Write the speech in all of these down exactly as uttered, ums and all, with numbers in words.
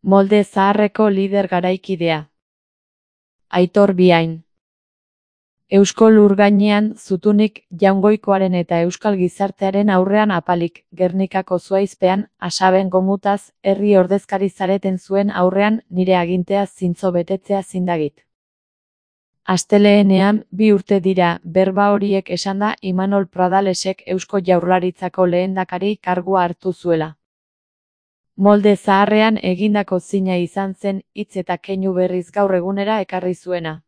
Molde zaharreko lider garaikidea. Aitor Biain. Eusko lur gainean zutunik Jaungoikoaren eta euskal gizartearen aurrean apalik, Gernikako zuhaizpean, asaben gomutaz, herri ordezkari zareten zuen aurrean nire agintea zintzo betetzea zindagit. Asteleenean, bi urte dira, berba horiek esanda Imanol Pradalesek Eusko Jaurlaritzako lehendakari kargua hartu zuela. Molde zaharrean egindako zina izan zen hitz eta keinu berriz gaur egunera ekarri zuena.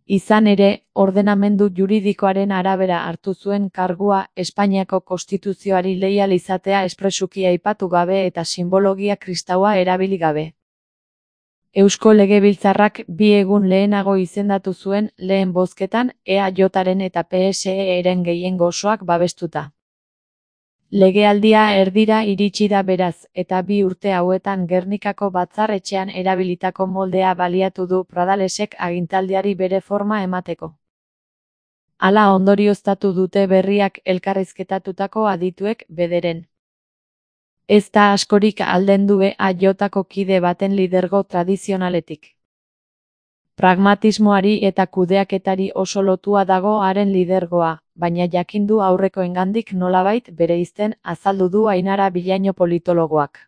Izan ere, ordenamendu juridikoaren arabera hartu zuen kargua Espainiako Konstituzioari leial izatea espresuki aipatu gabe eta simbologia kristaua erabili gabe. Eusko Legebiltzarrak bi egun lehenago izendatu zuen lehen bozketan E A Jaren eta P S E-ren gehiengo osoak babestuta. Legealdia erdira iritsi da beraz, eta bi urte hauetan Gernikako batzar etxean erabilitako moldea baliatu du Pradalesek agintaldiari bere forma emateko. Hala ondorioztatu dute berriak elkarrizketatutako adituek bederen. Ez da askorik aldendu E A Jko kide baten lidergo tradizionaletik. Pragmatismoari eta kudeaketari oso lotua dago haren lidergoa, baina jakindu aurrekoengandik nolabait bereizten azaldu du Ainara Bilaino politologoak.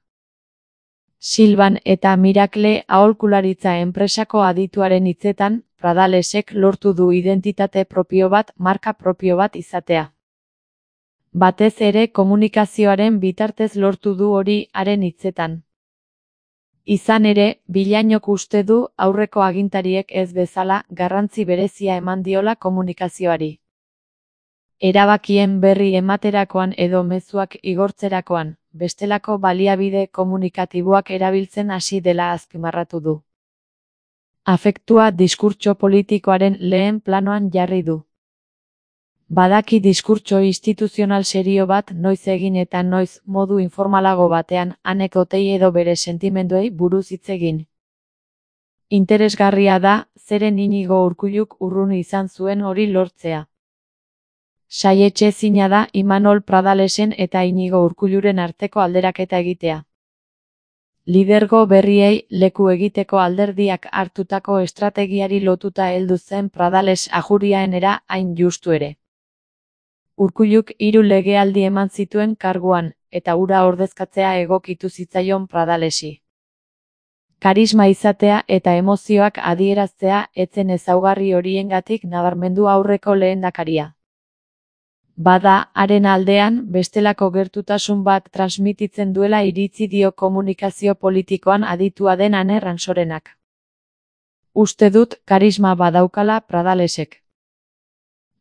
Silban eta Mirakle aholkularitza enpresako adituaren hitzetan, Pradalesek lortu du identitate propio bat, marka propio bat izatea. Batez ere komunikazioaren bitartez lortu du hori haren hitzetan. Izan ere, Bilainok uste du aurreko agintariek ez bezala garrantzi berezia eman diola komunikazioari. Erabakien berri ematerakoan edo mezuak igortzerakoan, bestelako baliabide komunikatiboak erabiltzen hasi dela azpimarratu du. Afektua diskurtso politikoaren lehen planoan jarri du. Badaki diskurtso instituzional serio bat noiz egin eta noiz modu informalago batean anekdotei edo bere sentimenduei buruz hitz egin. Interesgarria da, zeren Inigo Urkulluk urrun izan zuen hori lortzea. Saietxezina da Imanol Pradalesen eta Inigo Urkulluren arteko alderaketa egitea. Lidergo berriei leku egiteko alderdiak hartutako estrategiari lotuta heldu zen Pradales ajuriaenera hain justu ere. Urkulluk hiru legealdi eman zituen karguan, eta hura ordezkatzea egokitu zitzaion Pradalesi. Karisma izatea eta emozioak adieraztea etzen ezaugarri horiengatik nabarmendu aurreko lehendakaria. Bada, haren aldean, bestelako gertutasun bat transmititzen duela iritzi dio komunikazio politikoan aditua den Ane Ransorenak. Uste dut karisma badaukala Pradalesek.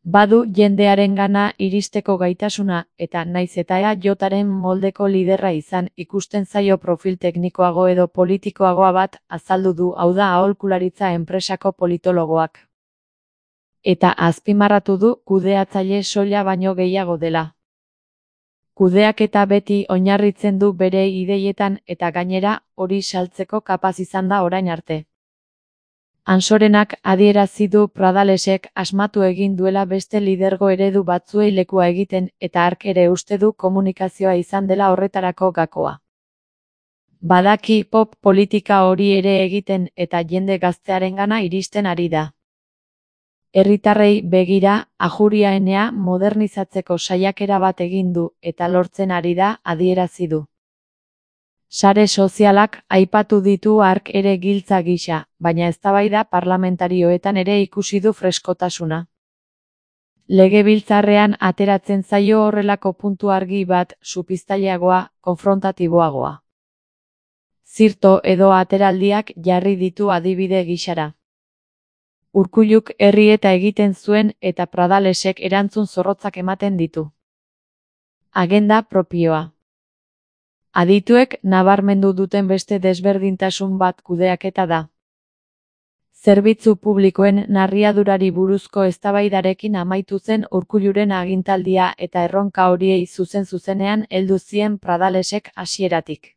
Badu jendearengana iristeko gaitasuna, eta naiz eta E A Jaren moldeko liderra izan ikusten zaio profil teknikoago edo politikoagoa bat azaldu du hau da aholkularitza enpresako politologoak. Eta azpimarratu du kudeatzaile soila baino gehiago dela. Kudeaketa beti oinarritzen du bere ideietan eta gainera hori saltzeko kapaz izan da orain arte. Ansorenak adierazi du Pradalesek asmatu egin duela beste lidergo eredu batzuei lekua egiten eta hark ere uste du komunikazioa izan dela horretarako gakoa. Badaki pop politika hori ere egiten eta jende gaztearengana iristen ari da. Herritarrei begira, ajuriaenea modernizatzeko saiakera bat egin du eta lortzen ari da adierazi du. Sare sozialak aipatu ditu hark ere giltza gisa, baina eztabaida parlamentarioetan ere ikusi du freskotasuna. Legebiltzarrean ateratzen zaio horrelako puntu argi bat, supitzaileagoa, konfrontatiboagoa. Zirto edo ateraldiak jarri ditu adibide gisara. Urkulluk herri eta egiten zuen eta Pradalesek erantzun zorrotzak ematen ditu. Agenda propioa. Adituek nabarmendu duten beste desberdintasun bat kudeaketa da. Zerbitzu publikoen narriadurari buruzko eztabaidarekin amaitu zen Urkulluren agintaldia eta erronka horiei zuzen-zuzenean heldu zien Pradalesek hasieratik.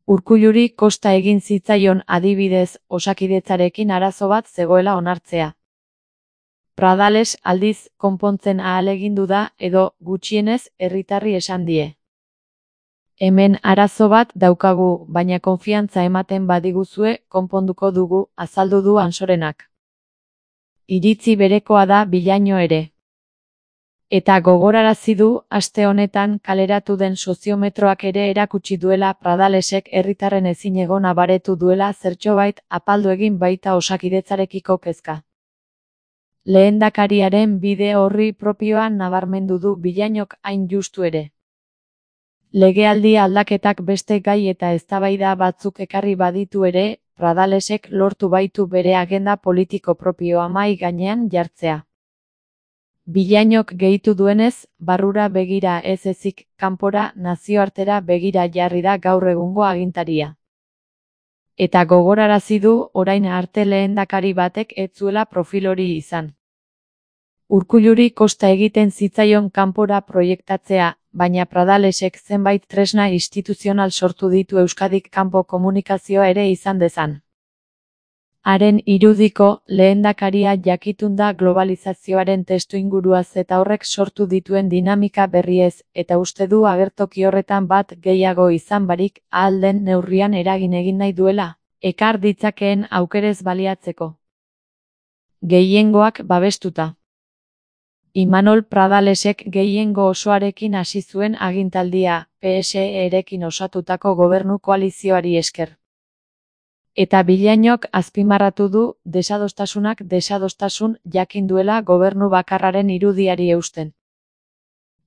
Urkulluri kosta egin zitzaion adibidez Osakidetzarekin arazo bat zegoela onartzea. Pradales aldiz konpontzen ahalegindu da edo gutxienez herritarri esan die. Hemen arazo bat daukagu, baina konfiantza ematen badiguzue, konponduko dugu, azaldu du Ansorenak. Iritzi berekoa da Villaino ere. Eta gogorarazi du, aste honetan kaleratu den soziometroak ere erakutsi duela Pradalesek herritarren ezinegona baretu duela zertxobait apaldu egin baita Osakidetzarekiko kezka. Lehendakariaren bide horri propioan nabarmendu du Villainok hain justu ere. Legealdi aldaketak beste gai eta eztabaida batzuk ekarri baditu ere, Pradalesek lortu baitu bere agenda politiko propioa mahai gainean jartzea. Villainok gehitu duenez, barrura begira ez ezik, kanpora nazioartera begira jarri da gaur egungo agintaria. Eta gogorarazi du orain arte lehendakari batek ez zuela profil hori izan. Urkulluri kosta egiten zitzaion kanpora proiektatzea, baina Pradalesek zenbait tresna instituzional sortu ditu Euskadik kanpo komunikazioa ere izan dezan. Haren irudiko, lehendakaria jakitun da globalizazioaren testuinguruaz eta horrek sortu dituen dinamika berriez, eta uste du agertoki horretan bat gehiago izan barik, ahal den neurrian eragin egin nahi duela, ekar ditzakeen aukerez baliatzeko. Gehiengoak babestuta. Imanol Pradalesek gehiengo osoarekin hasi zuen agintaldia, P S E-erekin osatutako gobernu koalizioari esker. Eta Villainok azpimarratu du, desadostasunak desadostasun jakin duela gobernu bakarraren irudiari eusten.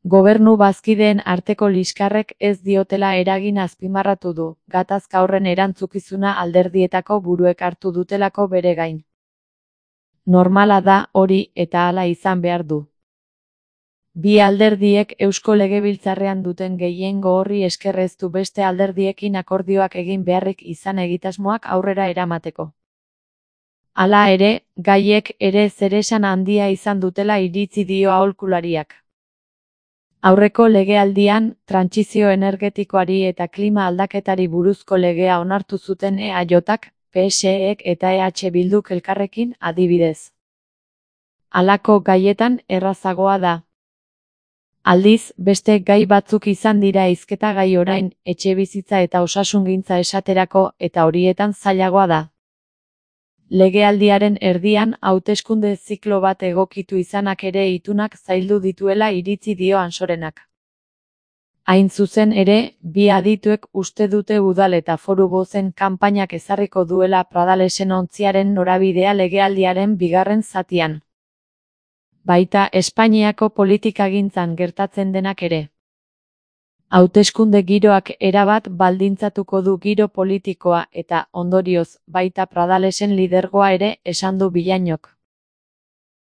Gobernu bazkideen arteko liskarrek ez diotela eragin azpimarratu du, gatazka horren erantzukizuna alderdietako buruek hartu dutelako bere gain. Normala da hori eta hala izan behar du. Bi alderdiek Eusko Legebiltzarrean duten gehiengo horri esker ez du beste alderdiekin akordioak egin beharrik izan egitasmoak aurrera eramateko. Hala ere, gaiek ere zeresan handia izan dutela iritzi dio aholkulariak. Aurreko legealdian, trantsizio energetikoari eta klima aldaketari buruzko legea onartu zuten E A Jk, P S Ek eta E H Bilduk elkarrekin adibidez. Halako gaietan errazagoa da. Aldiz, beste gai batzuk izan dira hizketa gai orain, etxebizitza eta osasungintza esaterako, eta horietan zailagoa da. Legealdiaren erdian hauteskunde ziklo bat egokitu izanak ere itunak zaildu dituela iritzi dio Ansorenak. Hain zuzen ere, bi adituek uste dute udal eta foru bozen kanpainak ezarriko duela Pradalesen ontziaren norabidea legealdiaren bigarren zatian. Baita Espainiako politikagintzan gertatzen denak ere. Hauteskunde giroak erabat baldintzatuko du giro politikoa eta, ondorioz, baita Pradalesen lidergoa ere esan du Villainok.